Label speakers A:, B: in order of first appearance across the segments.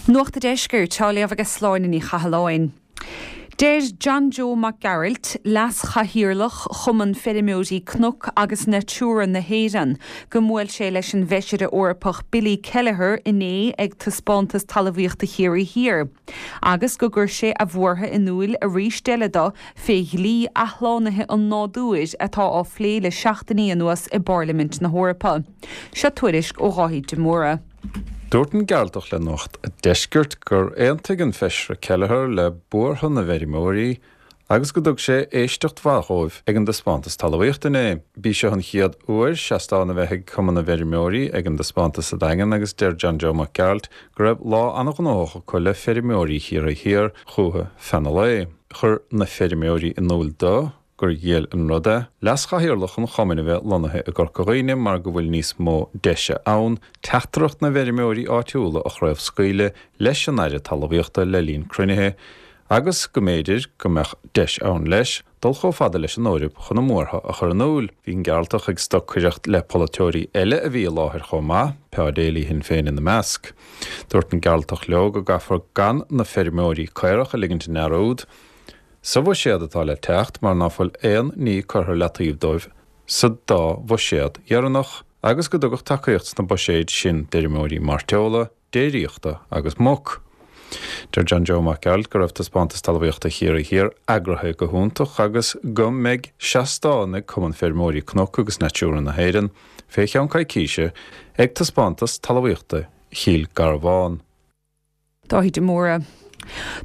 A: Nuacht a' Deiscirt á léamh ag Sláine Ní Chathalláin. Deir John Joe Mac Gearailt, Leas-Chathaoirleach Chumann Feirmeoirí Cnoc agus Natura na hÉireann, go mbuail sé leis an bhFeisire Eorpach Billy Kelleher inné ag Taispeántas Talmhaíochta Chiarraí Thiar agus go gcuir sé a bhuartha in úil arís eile do fé dhlí athshlánaithe an nádúir atá á phlé le seachtainí anuas i bPairlimint na hEorpa. Seo tuairisc ó Dháithí de Mórdha.
B: Dúirt an Gearaltach le Nuacht a' Deiscirt gur aontaigh an Feisire Kelleher le buartha na bhfeirmeoirí agus go dtug sé éisteacht mhaith dhóibh ag an dtaispeántas talmhaíochta inné. B'í seo an chéad uair seastán a bheith ag Cumann na bhFeirmeoirí ag an dtaispeántas sa Daingean agus deir John Joe Mac Gearailt go raibh lá an-ghnóthach acu le feirmeoirí Chiarraí Thiar chúthu feadh na lae. Chuir na feirmeoirí in úil do gur dhiail an rud é leaschathaoirleach an chumainn a bheith lonnaithe i gCorca Dhuibhne mar go bhfuil níos mó deise ann teachtaireacht na bhfeirmeoirí áitiúla a chraobhscaoileadh leis an Aire Talmhaíochta le linn cruinnithe agus go mb'fhéidir go mbeadh deis ann leis dul chomh fada leis an Eoraip chun a mbuartha a chur in iúl. Bhí an Gearaltach ag stocaireacht le polaiteoirí eile a bhí i láthair chomh maith, Pa Daly Shinn Féin ina measc. Dúirt an Gearaltach leo go gcaithfear gan na feirmeoirí caorach a ligint i ndearúd. Sa bhuiséad atá le teacht mar ná fuil aon ní curtha ar leataobh dóibh sa dá bhuiséad dheireanach agus go dtugadh tacaíocht sna buiséid sin d'fheirmeoirí mairteola, déiríochta agus muc. Deir John Joe Mac Gearailt go raibh Taispeántas Talmhaíochta Chiarraí Thiar eagraithe go hiontach agus go mbeidh seastán ag Cumann Feirmeoirí Cnoc agus Natura na hÉireann fé cheann coicíse ag Taispeántas Talmhaíochta Chill Garbhán.
A: Dáithí de Mórdha.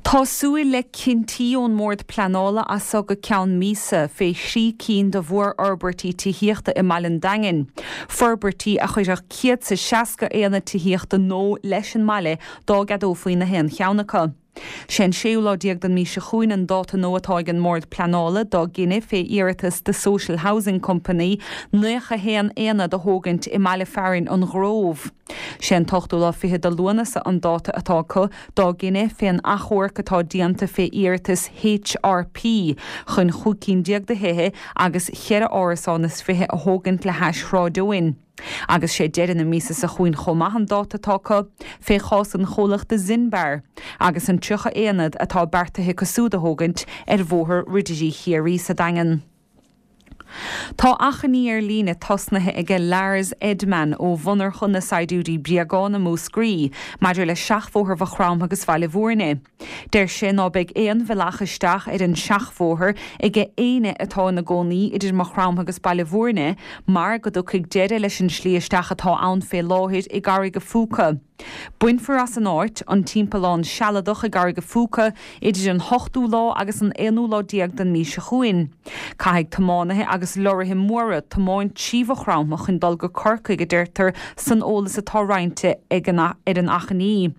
A: Tá súil le cinntí ón mBord Pleanála as so go ceann míosa fé thrí cinn de mhórfhorbairtí tithíochta i mbaile an Daingin, forbairtí a chuirfeadh 160 aonad tithíochta nua leis an mbaile dá gceadófaí na haon cheann acu. Sé an séú lá déag den mí seo chugainn an dáta nua atá ag an mBord Pleanála dá gcinneadh fé iarratas The Social Housing Company 91 aonad a thógaint i mbaile fearainn an Ghrove. Sé an t-ochtú lá fichead de Lúnasa an dáta atá acu dá gcinneadh fén achomharc atá déanta fé iarratas HRP chun chúig cinn déag de thithe agus cheithre árasán is fiche a thógaint le hais Shráid Eoin. Agus sé deireadh na míosa seo chugainn chomh maith an dáta atá acu fé chás an chomhlachta Zinbar agus an 30 aonad atá beartaithe acu súd a thógaint ar Bhóthar Ridirí Chiarraí sa Daingean. Tá achainí ar líne tosnaithe aige Lars Edman ó mhonarcha na saighdiúirí bréagán i Múscraí maidir le seachbhóthar Mhaigh Chromtha agus Bhaile Bhúirne. Deir sé ná beidh aon bhealach isteach ar an seachbhóthar aige éinne atá ina gcónaí idir Maigh Chromtha agus Baile Bhúirne mar go dtiocfaidh deireadh leis an slí isteach atá ann fé láthair i gCarraig a' Phúca. Bainfear as an áit an timpeallán sealadach i gCarraig a' Phúca idir an hochtú lá agus an aonú lá déag den mhí seo chugainn. Caithfidh tiománaithe agus lorraithe móra tiomáint trí Mhaigh Chromtha chun dul go Corcaigh, a deirtear san eolas atá roinnte ag an ar an achainí.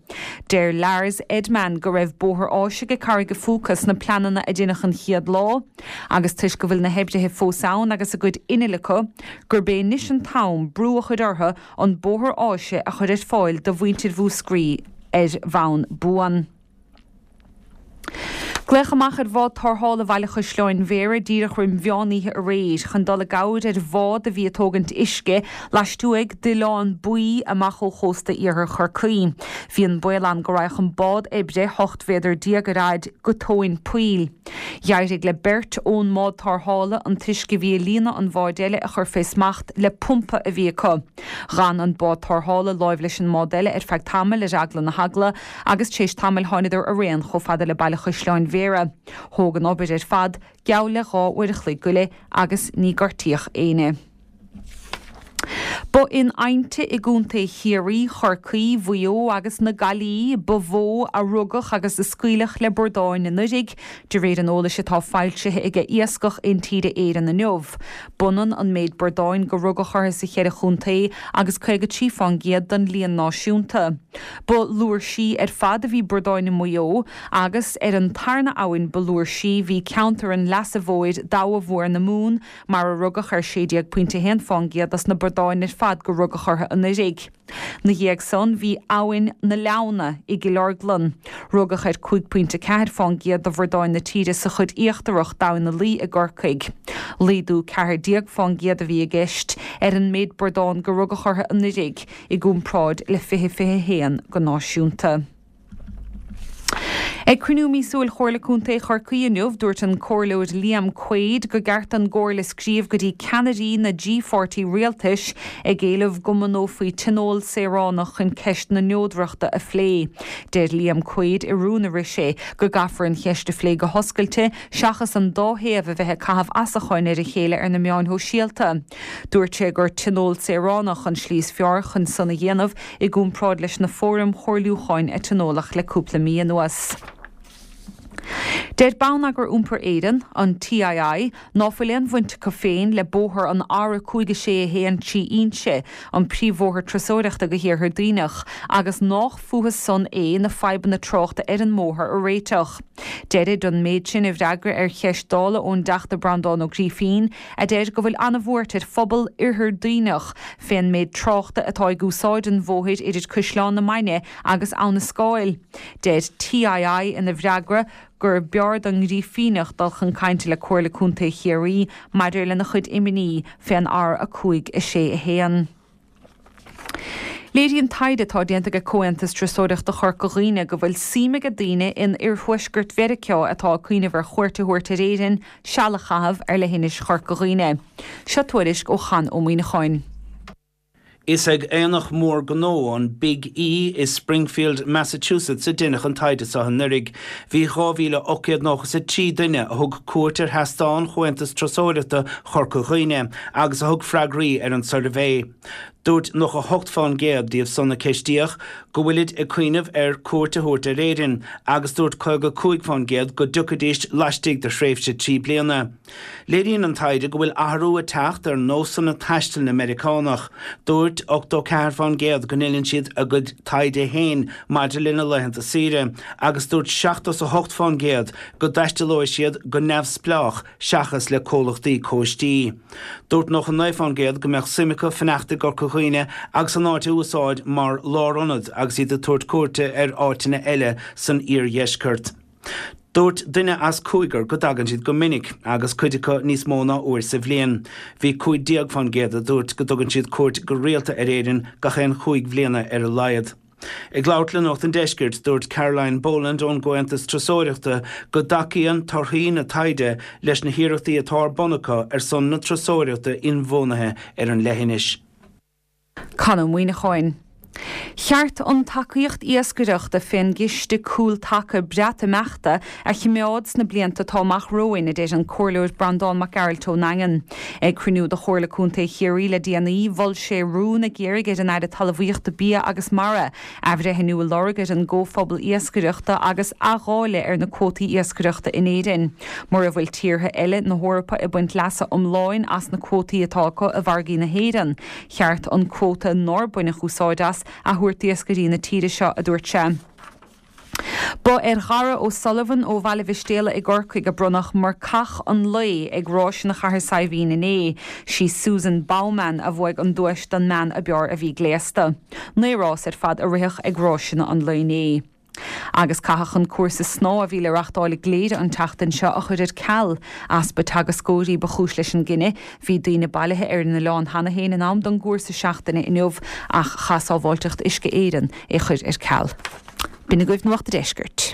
A: Deir Lars Edman go raibh bóthar áise go Carraig a' Phúca sna pleananna a deineadh an chéad lá agus toisc go bhfuil na hoibrithe fós ann agus a gcuid innill acu, gurb é anois an t-am brú a chur orthu an bóthar áise a chur ar fáil do mhuintir Mhúscraí ar bhonn buan. Glaodh amach ar bhád tarrthála Bhaile Chaisleáin Bhéarra díreach roim mheán oíche aréir chun dul i gcabhair ar bhád a bhí ag tógaint uisce laistuaidh d'Oileán Baoi amach ó chósta iarthar Chorcaí. Bhí an baol ann go raghadh an bád oibre, 18 mhéadar ar fhaid, go tóin poill. D'éirigh le beirt ón mbád tarrthála an t-uisce a bhí ag líonadh an bháid eile a chur fé smacht le pumpa a bhí acu. Dh'fhan an bád tarrthála láimh leis an mbád eile ar feadh tamaill ar eagla na heagla agus tar éis tamaill tháiniodar araon chomh fada le Baile Chaisleáin Bhéarra. Thóg an obair ar fad geall le dhá uair a chloig go leith agus ní gortaíodh éinne. Ba in aibhnte i gContae Chiarraí, Chorcaí, Mhaigh Eo agus na Gaillimhe ba mhó a rugadh agus a scaoileadh le bordáin anuraidh, de réir an eolais atá foilsithe aige Iascach Intíre Éireann inniu. B'ionann an méid bordáin go rugadh orthu sa cheithre chontae agus 53 fán gcéad den líon náisiúnta. Ba fhlúirsí ar fad a bhí bordáin i Maigh Eo agus ar an tarna abhainn ba fhlúirsí bhí ceantar an Leasa Mhóir d'Abha Mhór na Mumhan, mar a rugadh ar 16.1 fán gcéad dos na bordáin ar fad go rugadh orthu anuraidh. 'Na dhiaidh san bhí Abhainn na Leamhna i gCill Orglan. Rugadh ar 5.4 fán gcéad de bhordáin na tíre sa chuid íochtarach d'Abhainn na Laoi i gCorcaigh. Laghdú 14 fán gcéad a bhí i gceist ar an méid bordán go rugadh orthu anuraidh i gcomparáid le 2021 go náisiúnta. Ag cruinniú míosúil Chomhairle Contae Chorcaí inniu, dúirt an Comhairleoir Liam Quaide go gceart don gComhairle scríobh go dtí ceannairí na dtrí pháirtí rialtais ag éileamh go mbunófaí tionól saoránach chun ceist na neodrachta a phlé. Deir Liam Quaide i rún a rith sé go gcaithfear an cheist a phlé go hoscailte seachas an dá thaobh a bheith ag caitheamh asacháin ar a chéile ar na meáin shóisialta. Dúirt sé gur tionól saoránach an slí is fearr chun san a dhéanamh i gcomparáid leis na fóraim chomhairliúcháin a tionóladh le cúpla mí anuas. Deir Bonneagar Iompair Éireann, an TII, ná fuil aon bhaint acu féin le bóthar an R5 6 1 trí Inse, an príomhbhóthar turasóireachta go hIarthar Duibhneach, agus nách fúthu san é na fadhbanna tráchta ar an mbóthar a réiteach. Deirid an méid sin i bhfreagra ar cheist Dála ón dTeachta Breandán Ó Grífín, a deir go bhfuil an-bhuairt ar phobal Oirthear Duibhneach fén méid tráchta atá ag úsáid an bhóthair idir Caisleán na Mainge agus Abha na Scáil. Deir TII ina bhfreagra gur b'fhearr don nGrífíneach dul chun cainte le Comhairle Contae Chiarraí maidir lena chuid imní fén R5 6 1. Léiríonn taighde atá déanta ag Comhaontas Turasóireachta Chorca Dhuibhne go bhfuil suim ag daoine in oirthuaisceart Mheiriceá atá ag cuimhneamh ar chuairt a thabhairt ar Éirinn seal a chaitheamh ar leithinis Chorca Dhuibhne. Seo tuairisc ó Chonn Ó Muíneacháin.
C: Is ag aonach mór gnó, an Big E i Springfield, Massachusetts a deineadh an taighde seo anuraidh. Bhí 2,893 duine a thug cuairt ar sheastán Chomhaontas Turasóireachta Chorca Dhuibhne agus a thug freagraí ar an suirbhé. Dúirt 98 fán gcéad díobh san a ceistíodh go bhfuilid ag cuimhneamh ar cuairt a thabhairt ar Éirinn agus dúirt 55 fán gcéad go dtiocfaidís laistigh de thréimhse 3 bliana. Léiríonn an taighde go bhfuil athrú ag teacht ar nósanna taistil na Meiriceánach. Dúirt 84 fán gcéad go ndeineann siad a gcuid taighde féin maidir lena laethanta saoire agus dúirt 78 fán gcéad go dtaistealóidh siad go neamhspleách seachas le comhlachtaí cóistí. Dúirt 99 fán gcéad go mbeadh suim acu fanacht i gCorca Dhuibhne agus an áit a úsáid mar lárionad agus iad ag tabhairt cuairte ar áiteanna eile san iardheisceart. Dúirt duine as cúigear go dtagann siad go minic, agus cuid acu níos mó ná uair sa bhliain. Bhí 15 fán gcéad a dúirt go dtugann siad cuairt go rialta ar Éirinn gach aon chúig bhliana ar a laghad. Ag labhairt le Nuacht an Deiscirt, dúirt Caroline Boland ón gComhaontas Turasóireachta go dtacaíonn torthaí na taighde leis na hiarrachtaí atá ar bun acu ar son na turasóireachta inbhuanaithe ar an leithinis.
A: Conn Ó Muíneacháin. Cheart an tacaíocht iascaireachta fén gCiste Cúl-Taca Breatimeachta a chimeád sna blianta atá amach romhainn, a deir an Comhairleoir Breandán Mac Gearailt ón nDaingean. Ag cruinniú de Chomhairle Contae Chiarraí le déanaí, mhol sé rún ag iarraidh ar an Aire Talmhaíochta, Bia agus Mara athbhreithniú a lorg ar an gComhphobal Iascaireachta agus athdháileadh ar na cuótaí iascaireachta in Éirinn. Mura bhfuil tíortha eile na hEorpa ag baint leasa iomláin as na cuótaí atá acu i bhfarraigí na hÉireann, cheart an cuóta nár baineadh úsáid as a thabhairt d'iascairí na tíre seo, a dúirt sé. Ba ar Dhara O'Sullivan ó Bhaile Mhistéala i gCorcaigh a bronnadh Marcach an Lae ag Ráiseanna Chathair Saidhbhín inné. Sí Susan Bowman a bhuaigh an duais don mbean ab fhearr a bhí gléasta. 9 rás ar fad a ritheadh ag ráiseanna an lae inné. Agus caitheadh an cúrsa snámha a bhí le reachtáil i gCléire an tseachtain seo a chur ar ceal. Easpa teagascóirí ba chúis leis an gcinneadh. Bhí daoine bailithe ar an oileán cheana féin in am don gcúrsa seachtaine inniu ach chaith Sábháilteacht Uisce Éireann é chur ar ceal. B'in agaibh Nuacht a' Deiscirt.